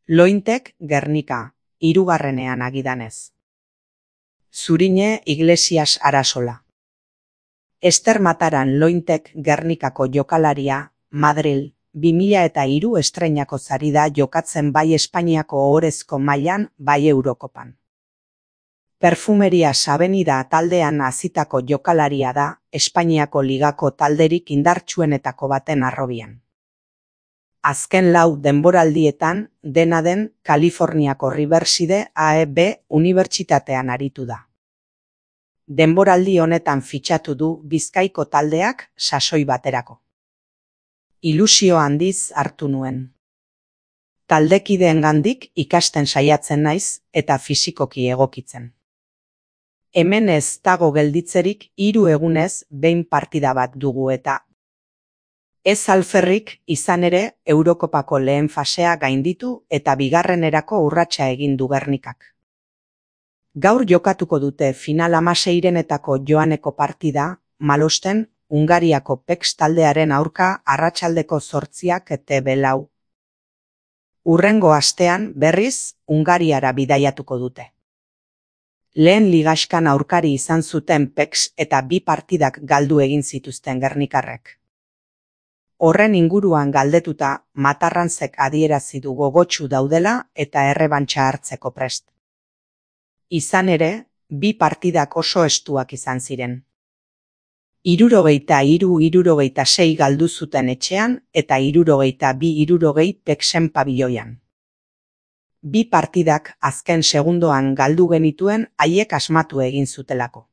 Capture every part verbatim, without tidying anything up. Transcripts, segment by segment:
Lointek Gernika, hirugarrenean agidanez. Zurine Iglesias Arasola. Ester Mataran Lointek Gernikako jokalaria, Madril, bi mila eta hiru estreinako zari da jokatzen bai Espainiako ohorezko mailan bai Eurokopan. Perfumeria Avenida taldean hasitako jokalaria da, Espainiako ligako talderik indartsuenetako baten harrobian. Azken lau denboraldietan, dena den, Kaliforniako Riverside A E B unibertsitatean aritu da. Denboraldi honetan fitxatu du Bizkaiko taldeak sasoi baterako. Ilusio handiz hartu nuen. Taldekideengandik ikasten saiatzen naiz eta fisikoki egokitzen. Hemen ez dago gelditzerik hiru egunez behin partida bat dugu eta ez alferrik izan ere Eurokopako lehen fasea gainditu eta bigarrenerako urratsa egin du Gernikak. Gaur jokatuko dute final hamaseirenetako joaneko partida, Malosten, Hungariako Pex taldearen aurka arratsaldeko zortziak eta belau. Hurrengo astean berriz Hungariara bidaiatuko dute. Lehen ligaskan aurkari izan zuten Pex eta bi partidak galdu egin zituzten gernikarrek. Horren inguruan galdetuta, Matarranzek adierazi du gogotsu daudela eta errebantxa hartzeko prest. Izan ere, bi partidak oso estuak izan ziren. Hirurogeita hiru hirurogeita sei galdu zuten etxean eta hirurogeita bi hirurogei Pexen pabiloian. Bi partidak azken segundoan galdu genituen haiek asmatu egin zutelako.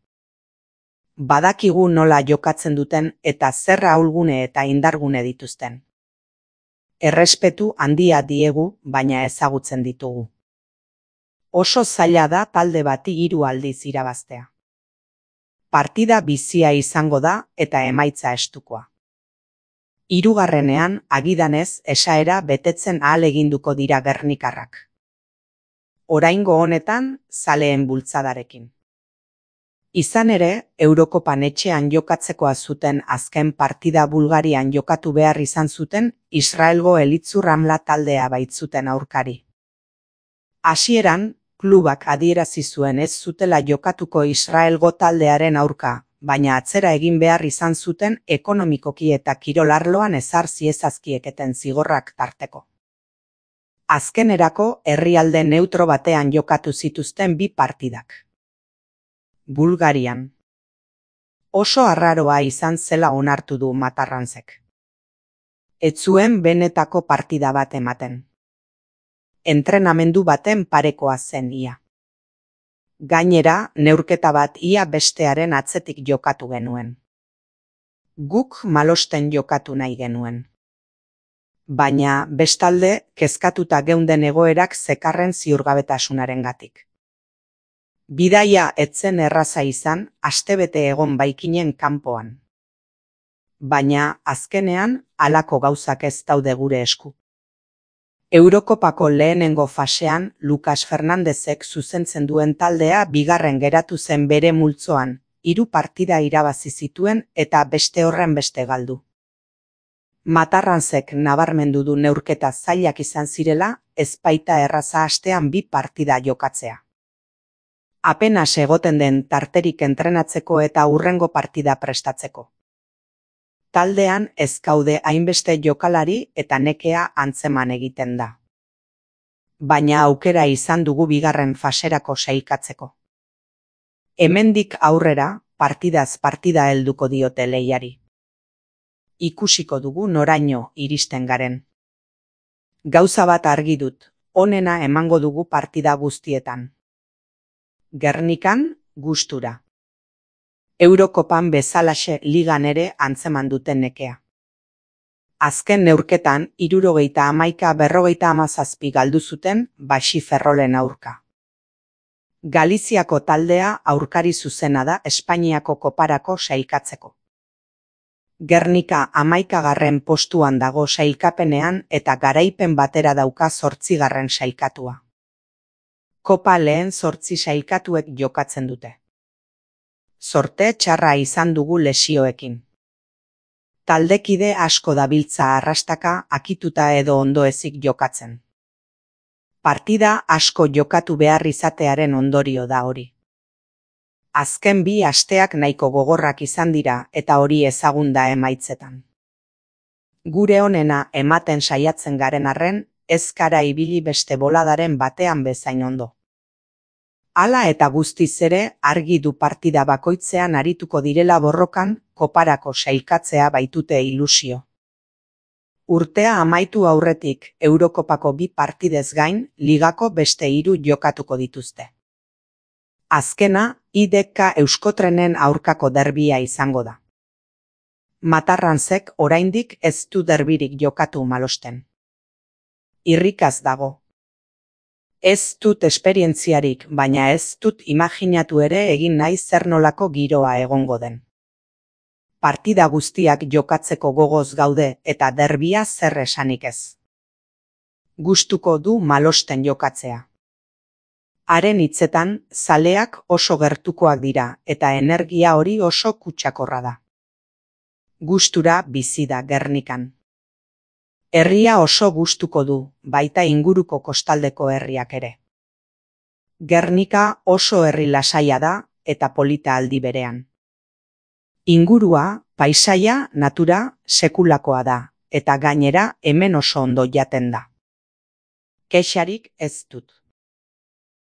Badakigu nola jokatzen duten eta zer ahulgune eta indargune dituzten. Errespetu handia diegu, baina ezagutzen ditugu. Oso zaila da talde bati hiru aldiz irabaztea. Partida bizia izango da eta emaitza estukoa. Hirugarrenean agidanez esaera betetzen ahaleginduko dira gernikarrak. Oraingo honetan zaleen bultzadarekin. Izan ere, Eurokopan etxean jokatzekoa zuten azken partida Bulgarian jokatu behar izan zuten Israelgo Elitzu Ramla taldea baitzuten aurkari. Hasieran, klubak adierazi zuen ez zutela jokatuko Israelgo taldearen aurka, baina atzera egin behar izan zuten ekonomikoki eta kirolarloan ezar ziezazkieketen zigorrak tarteko. Azkenerako herrialde neutro batean jokatu zituzten bi partidak. Bulgarian. Oso arraroa izan zela onartu du Matarranzek. Ez zuen benetako partida bat ematen. Entrenamendu baten parekoa zen ia. Gainera, neurketa bat ia bestearen atzetik jokatu genuen. Guk Malosten jokatu nahi genuen. Baina, bestalde, kezkatuta geunden egoerak zekarren ziurgabetasunarengatik. Bidaia etzen erraza izan, astebete egon baikinen kanpoan. Baina, azkenean, halako gauzak ez daude gure esku. Eurokopako lehenengo fasean, Lucas Fernandezek zuzentzen duen taldea bigarren geratu zen bere multzoan, hiru partida irabazi zituen eta beste horren beste galdu. Matarranzek nabarmendu du neurketa zailak izan zirela, ez baita erraza astean bi partida jokatzea. Apenas egoten den tarterik entrenatzeko eta hurrengo partida prestatzeko. Taldean ez gaude hainbeste jokalari eta nekea antzeman egiten da. Baina aukera izan dugu bigarren faserako sailkatzeko. Hemendik aurrera, partidaz partida helduko diote lehiari. Ikusiko dugu noraino iristen garen. Gauza bat argi dut, onena emango dugu partida guztietan. Gernikan, gustura. Eurokopan bezalaxe ligan ere antzeman duten nekea. Azken neurketan, hirurogeita hamaika berrogeita hamazazpi galdu zuten Baxi Ferrolen aurka. Galiziako taldea aurkari zuzena da Espainiako koparako sailkatzeko. Gernika hamaikagarren postuan dago sailkapenean eta garaipen batera dauka zortzigarren sailkatua. Kopa lehen zortzi sailkatuek jokatzen dute. Zorte txarra izan dugu lesioekin. Taldekide asko dabiltza arrastaka akituta edo ondoezik jokatzen. Partida asko jokatu behar izatearen ondorio da hori. Azken bi asteak nahiko gogorrak izan dira eta hori ezagun da emaitzetan. Gure onena ematen saiatzen garen arren, ez gara ibili beste boladaren batean bezain ondo. Hala eta guztiz ere argi du partida bakoitzean arituko direla borrokan, koparako sailkatzea baitute ilusio. Urtea amaitu aurretik Eurokopako bi partidez gain, ligako beste hiru jokatuko dituzte. Azkena, I D K Euskotrenen aurkako derbia izango da. Matarranzek oraindik ez du derbirik jokatu Malosten. Irrikaz dago. Ez dut esperientziarik, baina ez dut imaginatu ere egin nahi zer nolako giroa egongo den. Partida guztiak jokatzeko gogoz gaude eta derbia zer esanik ez. Gustuko du Malosten jokatzea. Haren hitzetan, zaleak oso gertukoak dira eta energia hori oso kutsakorra da. Gustura bizi da Gernikan. Herria oso gustuko du, baita inguruko kostaldeko herriak ere. Gernika oso herri lasaia da eta polita aldi berean. Ingurua, paisaia, natura, sekulakoa da, eta gainera hemen oso ondo jaten da. Kexarik ez dut.